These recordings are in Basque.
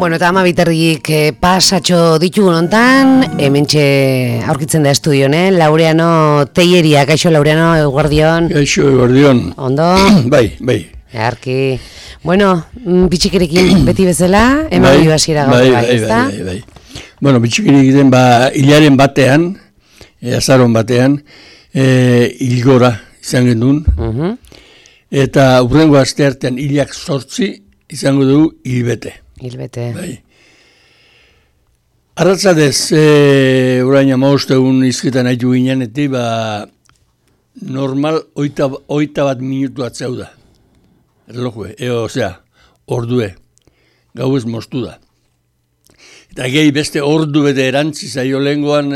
Bueno, eta 12:30 pasatxo ditugun hontan, hementxe aurkitzen da estudioan, Laureano Teilleria, kaixo Laureano, eguerdion. Kaixo, eguerdion. Ondo? Bai. Arki. Bueno, bitxikerekin beti bezala, eman bai, hasiera gaur bai, ezta? Bai. Bueno, bitxikerekin hilaren batean, azaron batean, hilgora izan gendun, eta urrengo asteartean hilak 8 izango dugu hilbete. Bai. Arratzadez, orain 15 egun izketan haitu ginen, normal 21 minutu atzeu da. Erlojue, ordue. Gau ez moztu da. Eta gehi beste ordu bete erantzi zaio lehengoan,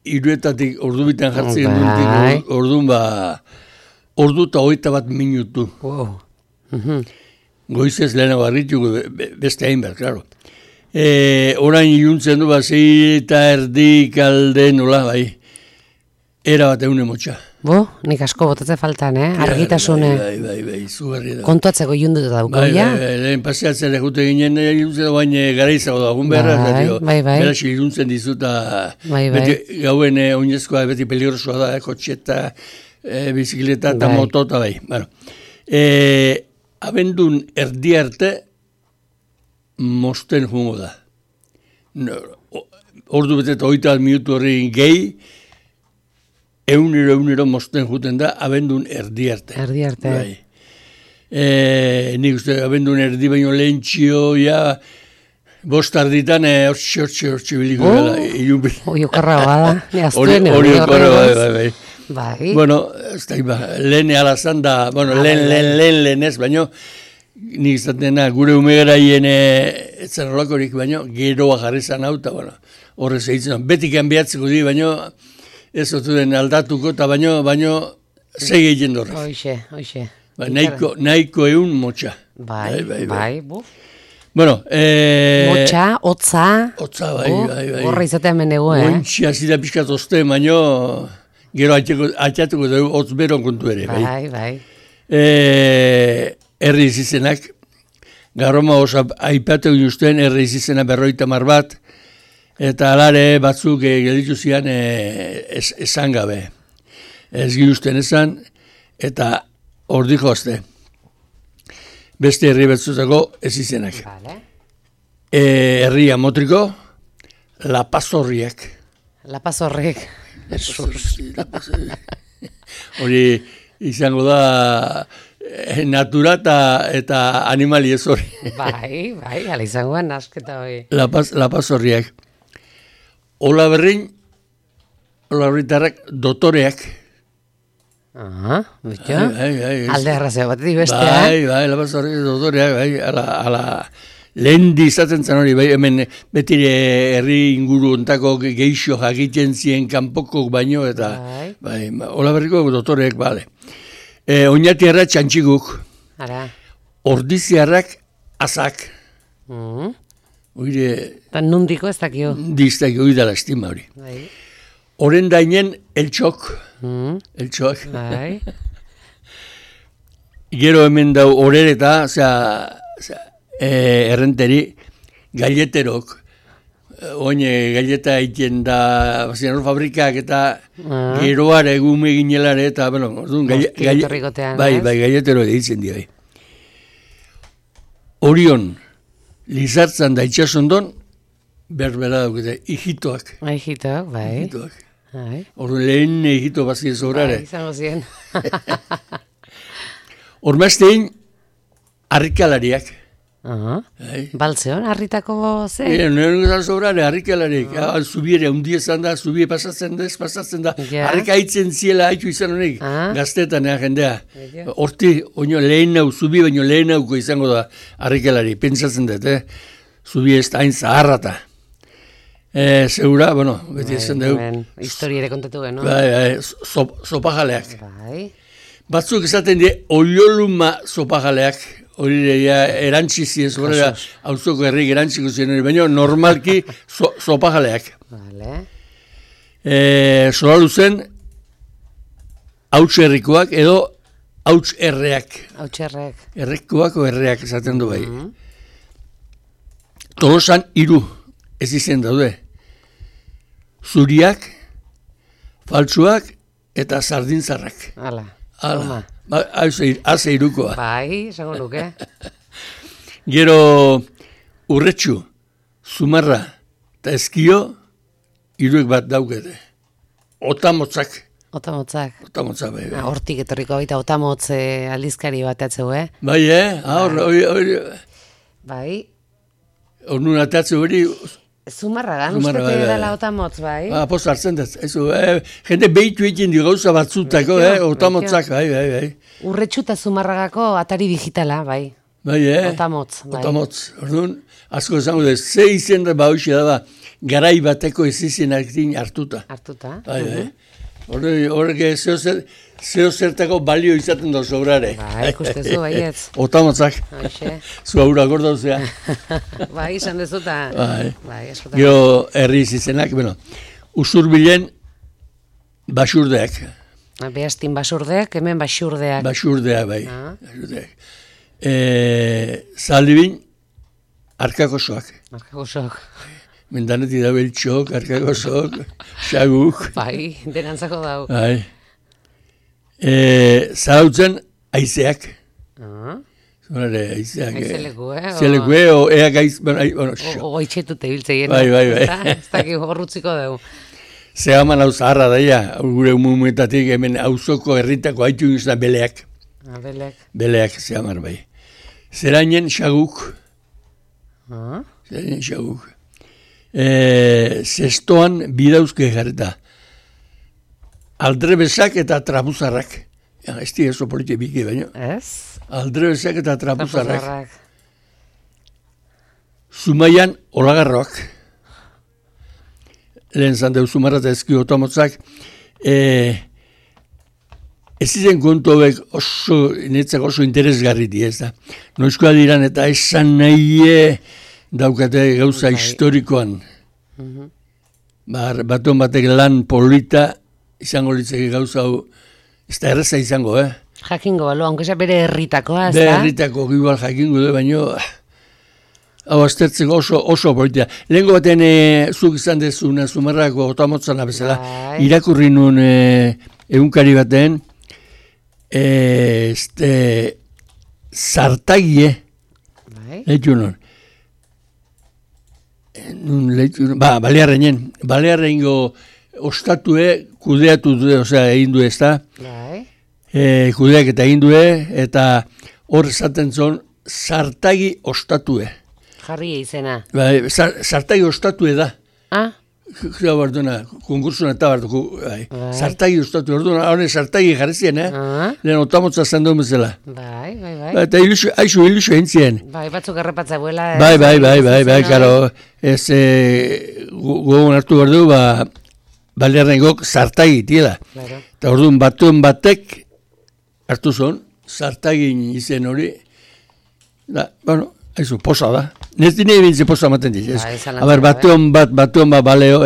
iruetatik ordu bitan jartzen gendutik, orduan ordu eta 21 minutu. Wow. Goizez lehenago harrituko beste hainbat, klaro. Orain iluntzen du, 6:30 kalde nola, bai. Era bat egun emotxa. Nik asko botatze faltan, argitasune. Bai, zugarri da. Kontuatzeko ilunduta dauko, ja? Bai, lehen paseatzera jute ginen, iluntzen da bain garaizago da, agun beharra. Bai. Beraz iluntzen dizuta, beti gauen oinezkoa, beti peligrosoa da, kotxeta, bizikleta eta motota, bai. Abendun erdi arte mosten jungo da. Ordu bete eta 20 minutu horri gehi, eunero mosten juten da, abendun erdi arte. Bai. Nik uste, abendun erdi baino lehentxio, ja, 5 arditan, hortxe biliko gala. Oiokarra bada, ne aztuen. Bai. Bai. Bueno, lehen alazan da, lehen ez, baino, nik izatena gure umegaraien etzen holakorik, baino, geroa jarrizan hau, eta horrez egitzen, beti kanbiatzeko di, baino, ez otu den aldatuko, eta baino, segi egin dorrez. Hoxe. Nahiko egun motxa. Bai. Bueno, motxa, hotza. Hotza, bai. Horra izatea menegu, Ointxia zida pixkat ozte, baino, gero atxatuko dugu, hotz beron kontu ere. Bai. Herri izizenak, garroma oso aipatu guztien, herri izizena 50 bat, eta alare batzuk gelditu zian esan gabe. Ez guztien esan, eta ordi jozte. Beste herri batzutako ez izenak. Herria motriko, La Pazorriak. La Pazorriak. Hori izango da natura eta animali ez hori. Bai, ala izangoan asketa hori. La Pazorriak. Ola berritarrak dotoreak. Bitxo? Alde arrazea bat bestea. Bai, La Pazorriak dotoreak, bai, ala lehen izaten zen hori, bai, hemen betire herri inguru ontako geixo jakiten zien kanpoko baino, eta bai, Olaberriko dotoreek, bale. Oñatiarrak txantxiguk, ordiziarrak azak. Eta nundiko ez dakio? Diztakio, hori dala estima hori. Horen dainen eltxok. Eltxok. Gero hemen dau horereta, errenteri, galleterok, galleta egiten da, fabrikak eta geroare egume ginelare, eta, bai, galletero egiten dira. Orion, Lizartzan da itxasondon, berbera daukete, hijitoak. Hijitoak, bai. Ordu lehen hijito bazien zobrare. Izango zien. Ormaztein, harrikalariak. Baltzeon, harritako ze? Nire guzan sobrare, harrikalarik. Zubiere, undiezan da, zubie pasatzen da. Harrika haitzen ziela haitu izan honek, gaztetan jendea. Horti, lehen nau, zubi baino lehen nauko izango da harrikalari. Pentsatzen dut, zubi ez da hain zaharrata. Segura, beti esan dugu. Historia ere kontatu geno. Bai, sopajaleak. Batzuk esaten die, oioluma sopajaleak. Hori erantzizi ez, horrela hauzoko herrik erantziko ziren hori, baina normalki sopajaleak. Zola luzen, hauts herrikoak edo hauts erreak. Hauts erreak. Errekoak o erreak esaten du bai. Tolosan 3 ez izen daude. Zuriak, faltsuak eta sardintzarrak. Hala. Haze irukoa. Bai, esango nuke. Gero urretxu, zumarra eta eskio, 3 bat daukete. Otamotzak. Otamotzak, bai. Hortik etorriko baita otamotz aldizkari bat atzeu, Bai, hori. Bai. Hornun atatze hori. Zumarragan, uste dela otamotz, bai. Post hartzen dut. Jende behitu egin di gauza batzutako, otamotzak, bai. Urretxu eta Zumarragako atari digitala, bai. Bai, Otamotz, bai. Otamotz. Orduan, asko esango dut, ze izen da hausia da, garai bateko ez izenak hartuta. Bai. Horrek zeo zertako balio izaten da sobrare. Bai, ikustezu, baietz. Otamotzak. Zu aurra gordauzea. Bai, izan dezuta. Bai, eskotan. Gero herriz izenak, usurbilen basurdeak. Behaztin basurdeak, hemen basurdeak. Basurdeak, bai. Basurdeak. Zaldibin, arkakosoak. Arkakosoak. Mendanetik da beltxok, arkakosok, xaguk. Bai, denantzako dau. Bai. Zarautzen, aizeak. Aizeak. Aizeleku, Aizeleku, eak aiz... O itxetute biltzeien. Bai. Ez dakik horrutziko dugu. Zegaman hau zaharra daia, gure umumetatik hemen auzoko herritako haitu gizena beleak. Beleak. Beleak, zegaman bai. Zerainen xaguk. Zerainen xaguk. Zestoan bidauzke jarreta. Aldrebesak eta trabuzarrak. Ez di eso politik biki baino. Ez? Aldrebesak eta trabuzarrak. Zumaian olagarroak. Lehen zandeu Zumarra eta ezki otamotzak. Ez izen kontu hobek netzak oso interesgarri di ez da. Noizkoa diran eta esan nahi daukate gauza historikoan. Baton batek lan polita izango litzeke gauza hau, ez da erreza izango, Jakingo, balo, aunque sea bere herritakoa, ez da? Bere herritako igual jakingo du, baino hau aztertzeko oso polita. Lehenko baten zuk izan dezuna Zumarrako otamotzana bezala, irakurri nun egunkari baten, zartagie, lehitu nun, Balearrengo ostatue kudeatu du, egin du ez da, kudeak eta egin du, eta hor esaten zon, zartagi ostatue. Jarri izena. Zartagi ostatue da. Konkursuna eta bartu, zartagi ostatue, hori zartagi jarri zien, lehen otamotza zandun bezala. Bai. Eta haixu ilusio entzien. Bai, batzuk errepatza buela. Bai, karo, ez gogon hartu behar du, Balearrengok zartagi tiela. Eta orduan batuen batek hartu zon, zartagin izen hori, haizu, posa da. Nez dine bintze posa maten diz. Batuen bat, baleo,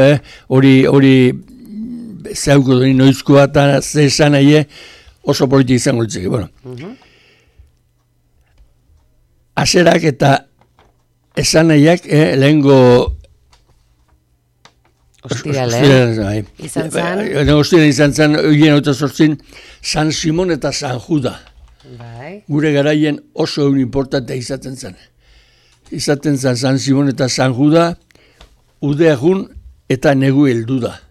hori zeuko doni noizkoa eta ze esan nahi oso politik izango ditzeke. Aserak eta esan nahiak lehengo Ostirale. Izan zan, oien hau eta sortzin, San Simon eta San Juda. Gure garaien oso egun importantea izaten zen. Izaten zen San Simon eta San Juda, udeagun eta negu heldu da.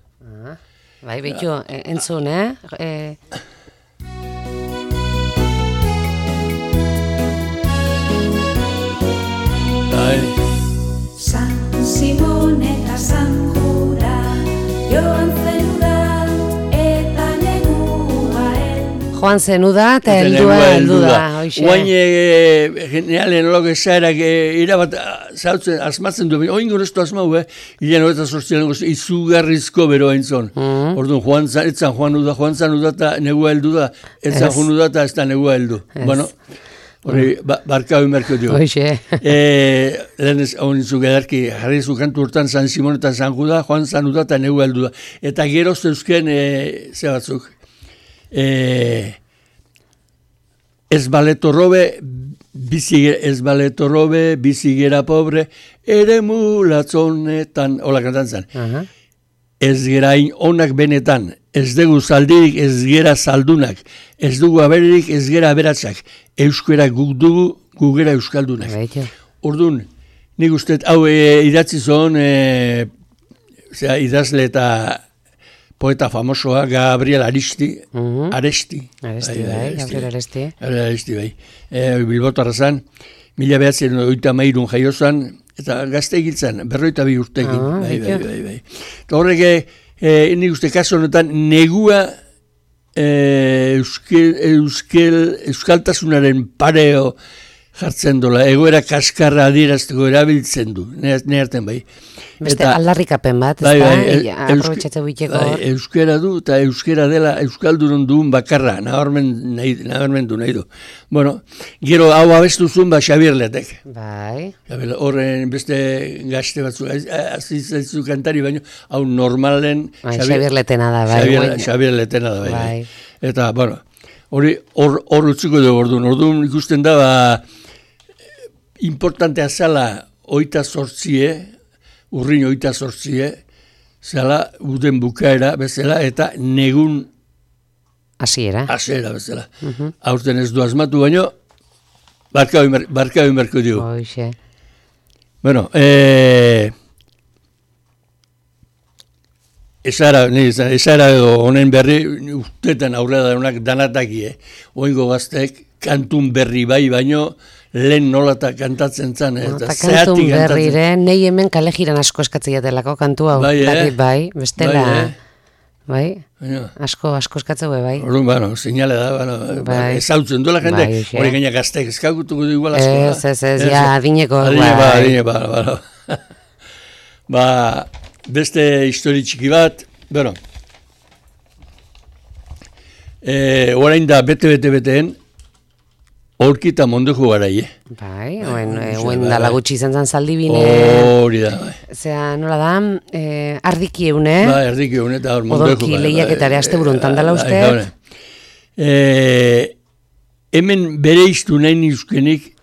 Bai, behitu, entzun, San Simon eta San Juda, joan zenuda eta negua Joan zenuda eta heldu da. Oain generalen olako esaerak irabat zautzen, asmatzen du, oin goreztu asmau, hilean horretan sortzialen gozu, izugarrizko bero entzon. Orduan, etzan joan zanuda eta negua heldu da, etzan joanuda eta ez da negua heldu. Bueno, hori, barkau inberko dio. Lehen ez, hau nintzu gedarki, jarri zukantu urtan San Simon eta San Juda, joan zanuda eta negua heldu da. Eta geroz zeuzken, ze batzuk, ez baletorrobe, bizigera pobre, ere mulatzonetan, hola kantantzan. Ez gerain onak benetan, ez dugu zaldirik, ez gera zaldunak, ez dugu aberirik, ez gera aberatsak, euskera guk dugu, gugera euskaldunak. Orduan, nik uste, hau idatzi zon, idazle eta poeta famosoa, Gabriel Aresti. Gabriel Aresti. Bai. Bilbotarra zan, 1983 jaio zan, eta gazte egiltzen, 42 urtekin. Bai. Eta horrek, nik uste kaso honetan, negua euskaltasunaren pareo jartzen dola, egoera kaskarra adierazteko erabiltzen du, neharten bai. Beste aldarrikapen bat, aprobetxatze buiteko. Euskera du, eta euskera dela euskalduron duen bakarra, nabarmendu nahi du. Bueno, gero hau abestu zuen Xabier Letek. Bai. Horren beste gazte batzu, azizaizu kantari baino, hau normalen... Xabier Letena da, bai. Xabier Letena da, bai. Eta, bueno, hor utziko dugu orduan ikusten da, importantea zala 28, urrin 28, zala uden bukaera bezala eta negun hasiera bezala. Aurten ez du asmatu baino, barka merko dugu. Hoxe. Bueno, esara honen berri, ustetan aurrera danak danataki, oingo gaztek, kantun berri bai baino, lehen nolata kantatzen zan. Eta kantun berrire, nahi hemen kale jiran asko eskatzen jatelako kantu hau. Bai, bestela. Bai, asko eskatzen bai. Orduan, bueno, sinale da, ezautzen duela jende, hori gaina gaztek eskagutuko du igual asko. Ez, ja, adineko. Adineko. Beste histori txiki bat, bueno, orain da bete-beteen, Aurkita mondejo garai, Bai, oen dala gutxi izan zan zaldibine. Hori da, bai. Zea, nola da, ardiki eune. Bai, ardiki eune eta hor mondejo. Odolki lehiaketare aste buruntan dala uste. Hemen bere iztu nahi nizkenik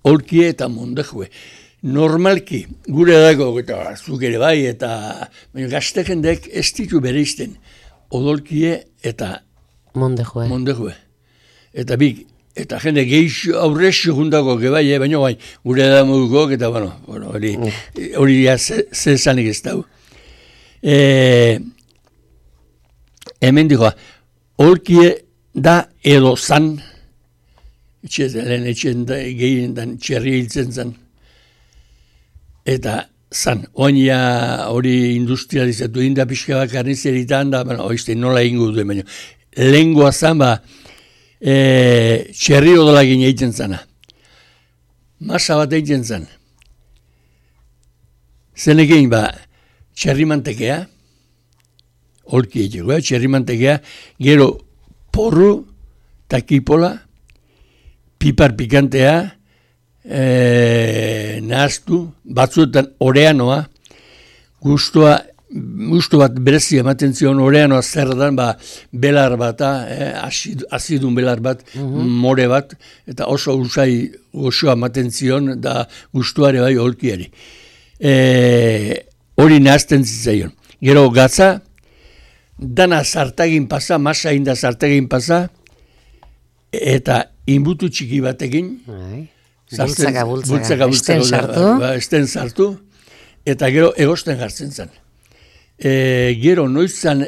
aurkie eta mondejoe. Normalki, gure dago, eta zuk ere bai, eta gazte jendek ez ditu bere izten. Odolkie eta mondejoe. Eta bik, eta jende geixo aurrexo juntako gebai, baina bai, gure da moduko, eta bueno, hori zezanik ez dau. Hemen dikoa, aurkie da edo zan, lehen etxen gehienetan txerri hiltzen zan, eta zan, oaina hori industrializatu inda pixka bat karnizeritan da, oizte nola ingo duen, baina lehengoa zan ba, txerri odolagin egiten zana. Masa bat egiten zan. Zenekein ba, txerri mantekea, holki egiteko, txerri mantekea, gero porru, takipola, pipar pikantea, nahaztu, batzuetan oreanoa, gustu bat berezi ematen zion oreanoa zer dan, belar bata, azidun belar bat, more bat, eta oso usai goxoa ematen zion, da gustuare bai holkiari. Hori nahazten zitzaion. Gero gatza, dana zartagin pasa, masa inda zartagin pasa, eta inbutu txiki batekin, bultzaka, esten sartu, eta gero egosten jartzen zen. Gero noizan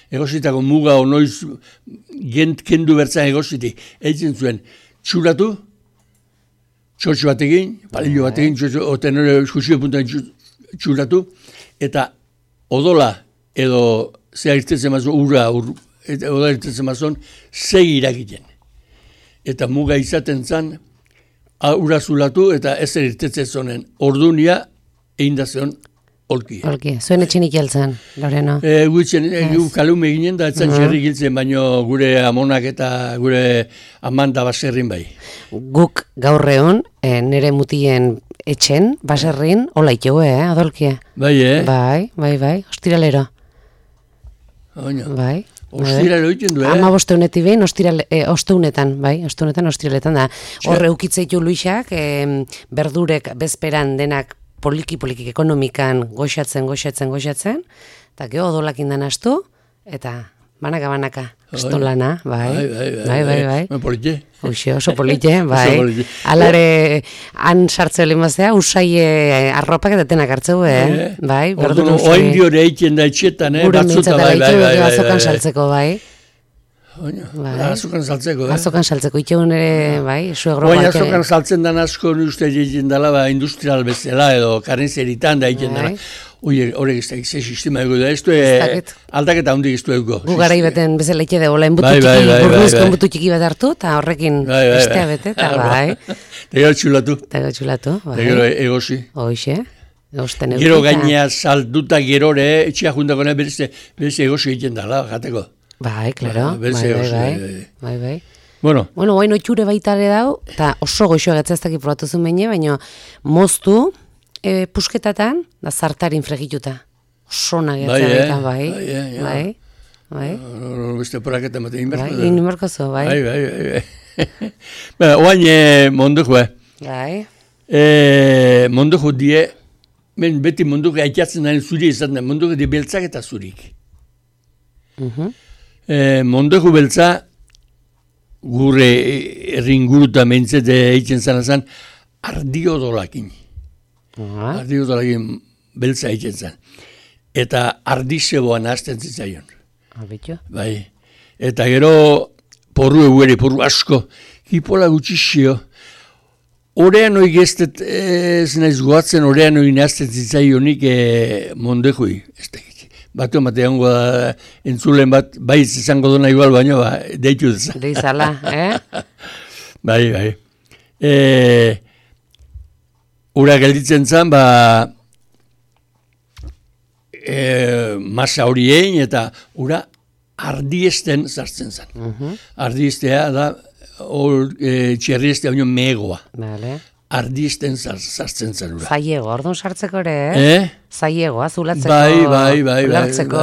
egositako muga o noiz kendu bertzan egositik, egiten zuen txuratu, txotxo batekin, palillo batekin, oten hori jusio puntan txuratu, eta odola edo zea irtetzen mazon, odola irtetzen mazon, segi irakiten. Eta muga izaten zan, ura zulatu eta ezer irtetzen zonen. Ordunia, egin da zion, holki. Zuen etxenik jeltzen, Loreno? Gu kalume ginen da, etzan txerri giltzen, baino gure amonak eta gure amanda baserrin bai. Guk gaur egun, nire mutien etxen, baserrin, hola iteue, adolkia? Bai, Bai, ostiralero. Oina. Bai. Ostiral egiten du, 15 egunetik behin, osteunetan, bai, ostiraletan da. Hor eukitzeitu Luisak, berdurek bezperan denak poliki-poliki ekonomikan goxatzen, eta geho odolakin den astu, eta banaka, estolana, bai. Polite. Oso polite, bai. Alare, han sartzeo limaztea, usaie arropak eta tenak hartzeu, bai. Orduan, oain diore eiken da etxetan, batzuta, bai. Azokan saltzeko, bai. Azokan saltzeko, Azokan saltzeko, itxegun ere, bai, suegro. Oain azokan saltzen dan asko, uste egiten dela, industrial bezala, edo karnizeritan da egiten dela. Horrek ez da gizte sistema ego da, ez du aldaketa hundik ez du ego. Gu garai beten bezala ike dugu, lehen butu txiki bat hartu, eta horrekin bestea bete, eta bai. Eta gero txulatu. Eta gero egosi. Hoxe, egosten egosi. Gero gainea salduta gerore, etxea juntako nahi berez egosi egiten dela, jateko. Bai, klaro, bai. Bueno, guain otxure baita ere dau, eta oso goxoa gatzaztak probatu zuen baina, baina moztu, pusketatan, da zartarin fregituta. Osona gertzea bai. Beste poraketa maten inberko da. Bai, inberko zo, bai. Oain monduko, Bai. Monduko die, beti monduko aitatzen nahi zuri izan da, monduko die beltzak eta zurik. Monduko beltza, gure erringuruta mentzete eitzen zanazan, ardiodolakin. Ardiodolakin beltza eitzen zan. Eta ardizeboan hasten zitzaion. Bai. Eta gero porru eguere, porru asko, kipola gutxixio. Horean hori geztet ez naiz goatzen, horean hori nazten zitzaionik mondekoi. Batu ematea hongo da entzulen bat, bai izango duna igual baino, deitu dezan. Deizala, Bai. Ura gelditzen zen, masa horien eta ura ardiesten zartzen zen. Ardiestea da, txerriestea baino megoa. Ardiesten zartzen zen ura. Zaiego, orduan sartzeko ere, Zaiego, azulatzeko, ulartzeko.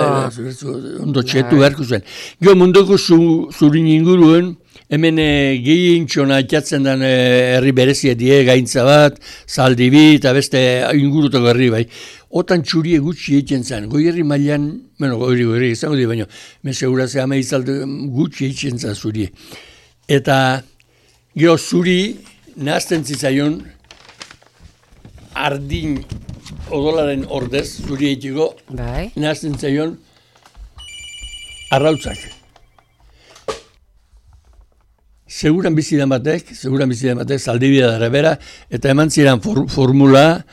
Ondo txetu beharko zen. Gio munduko zurin inguruen, hemen gehiintxona atxatzen den herri berezia die, gaintza bat, zaldibi eta beste ingurutako herri bai. Otan txurie gutxi egiten zen, goi herri mailan, goi izango di baino, mesegurazea meizalde gutxi egiten zen zurie. Eta gio zuri nahazten zitzaion ardin odolaren ordez, zuri egiteko, nahazten zitzaion arrautzak. Seguran bizidan batek, zaldibia dara bera, eta eman ziren formula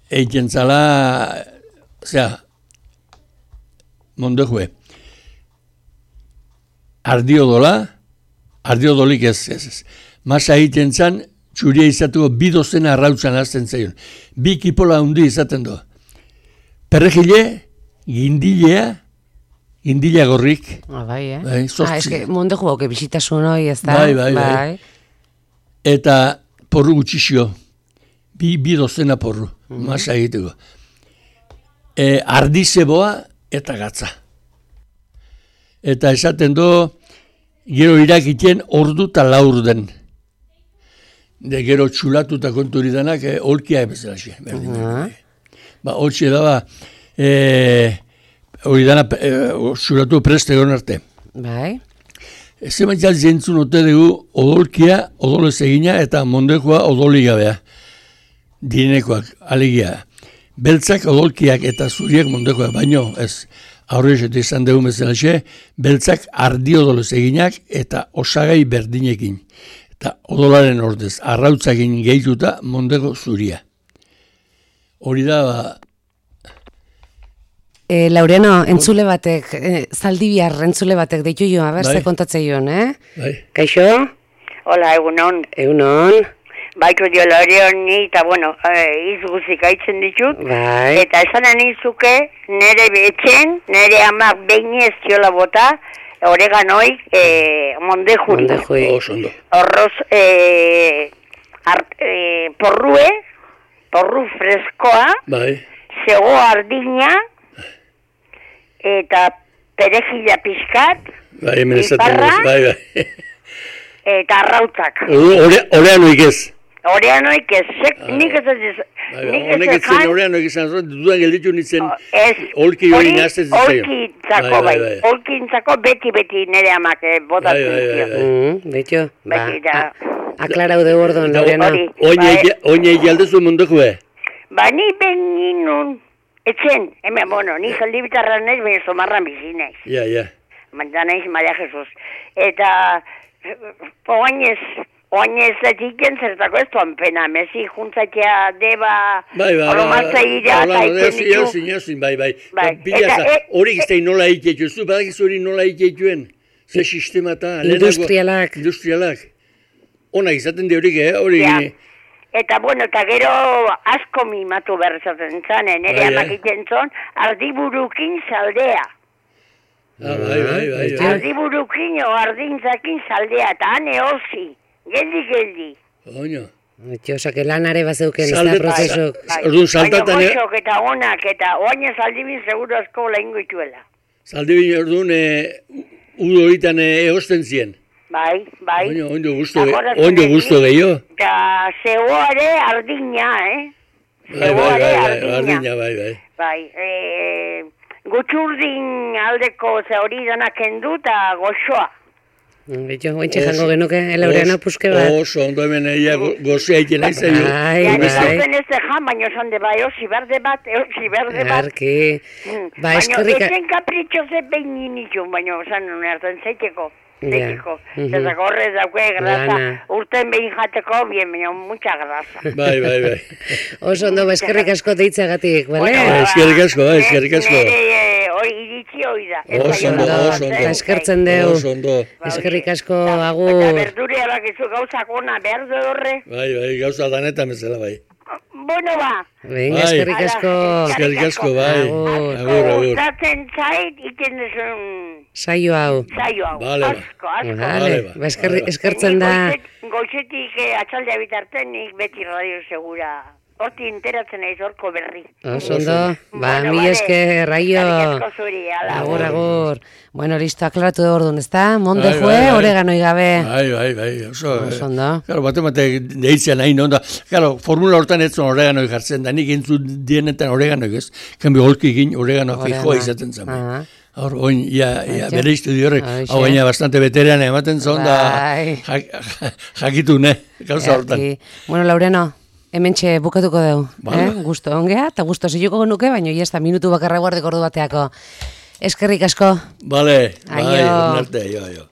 egiten zala, mondojue, ardiodolik ez. Masa egiten zan, txuria izatuko bi dozena arrautzan azten zaion. Bi kipola hundi izaten du. Perregile, gindila gorrik. Bai, eske mondejo bauke bisitasun hoi ez da. Bai. Eta porru gutxixio. Bi dozena porru. Masa egiteko. Ardizeboa eta gatza. Eta esaten du, gero irakiten ordu eta laur den. De gero txulatuta konturi denak, holkia bezala xe. Holtxe da, hori dana txulatu preste egon arte. Bai. Zeman txal zentzun ote dugu, odolkia, odolez egina, eta mondekoa odoligabea. Dinekoak, alegia. Beltzak odolkiak eta zuriak mondekoak, baino ez. Aurrexetu izan dugu bezala xe, beltzak ardiodolez eginak eta osagai berdinekin. Eta odolaren ordez, arrautzakin gehituta mondego zuria. Hori da, Laureano, entzule batek, zaldibiar entzule batek deitu joan, berze kontatzei joan, Bai. Kaixo? Hola, egunon. Egunon. Baiko dio Laureoni, eta bueno, izguzik aitzen ditut. Bai. Eta esan anizuke, nire betxen, nire amak behin ez ziola bota, oreganoi, mondejuri. Horroz, porru freskoa, bai. zego ardina, eta perejila pizkat, bai, hemen esaten bai. Eta arrautzak. Oreanoik ez. Oreanoik ez, nik ez ez... Honek ez zen oreanoik izan zuen, dudan gelditu nintzen olki hori nazten zitzaion. Olkintzako bai, olkintzako beti nire amak botatzen zitzaion. Betxo, aklarau de gordon, Laureano. Oinei aldezu munduko Ba, ni ben ninun, etzen, hemen, ni zaldi bitarra nahiz, baina somarran bizi nahiz. Ja. Manda nahiz, Maria Jesus. Eta, oainez etiken zertako ez duan pena, mezi juntzatea deba, oromatza ira, eta iten ditu. Bai. Hori giztein nola iketu, zu badakiz hori nola iketuen, ze sistema eta... Industrialak. Onak izaten di horik, hori gine. Eta, eta gero asko mimatu berrezatzen zanen, ere amak iten zon, ardiburukin zaldea. Bai. Ardiburukin o ardintzakin zaldea, eta hane hozi. Geldi. Oino. Osake lanare bazeuken ez da prozesok. Orduan saltatan... Baina goxok eta onak eta oainez aldibin seguro asko laingo ituela. Zaldibin orduan udo horitan egosten zien. Bai. Ondo gusto gehiago. Eta zegoare ardina, Ardina, bai. Bai, gutxurdin aldeko ze hori danak kendu eta goxoa. Betxo, ointxe jango genuke, Laureano puske bat. Oso, ondo hemen eia gozea iten aizaio. Bai. Ez jan, baina esan de bai, osi berde bat. Arki. Ba, eskerrik... Baina ezen kapritxo ze behin ninitu, baina esan hartan zeiteko. Zezako horrez daukue grasa, urten behin jateko, baina mucha grasa. Bai. Oso ondo, eskerrik asko deitzagatik, bale? Eskerrik asko. Hori iritsi hori da. Oso ondo. Eskertzen deu. Eskerrik asko, agur. Eta berdure alakizu gauzak ona behar du horre. Bai, gauza danetan bezala, bai. Bueno, ba. Venga, eskerrik asko, bai. Agur. Gustatzen zait, iten duzun... Saio hau. Asko. Eskertzen da. Goizetik atxaldea bitartenik beti Radio Segura. Horti enteratzen aiz horko berri. Ondo, mi esker, raio. Agur. Bueno, listo, aklaratu ordun, ezta? Monde jue, oreganoi gabe. Bai. Oso ondo. Claro, bate deitzen nahi onda. Claro, formula hortan etzon oreganoi jartzen da, nik entzu dienetan oreganoi ez. Kanbi holki egin oregano fijoa izaten zen. Hor, oin, bere estudio horrek, hau gaina bastante veteran ematen zon da jakitu, gauza hortan. Bueno, Laureano, hementxe bukatuko dugu, gusto ongea, eta gusto ziluko nuke, baina ez da minutu bakarra guardeko ordu bateako. Eskerrik asko. Bale, ornarte, jo.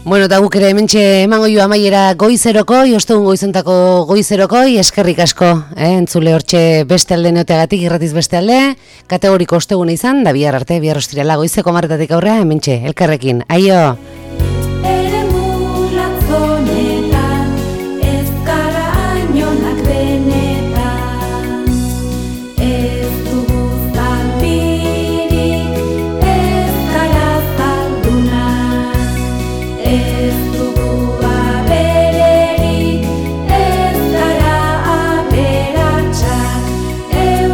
Bueno, eta guk ere hementxe emango jo amaiera goizerokoi, ostegun goizentako goizerokoi, eskerrik asko, entzule hortxe beste alde neoteagatik, irratiz beste alde, kategoriko ostegun izan, da bihar arte, bihar ostirala goizeko marretatik aurrea, hementxe, elkarrekin, aio!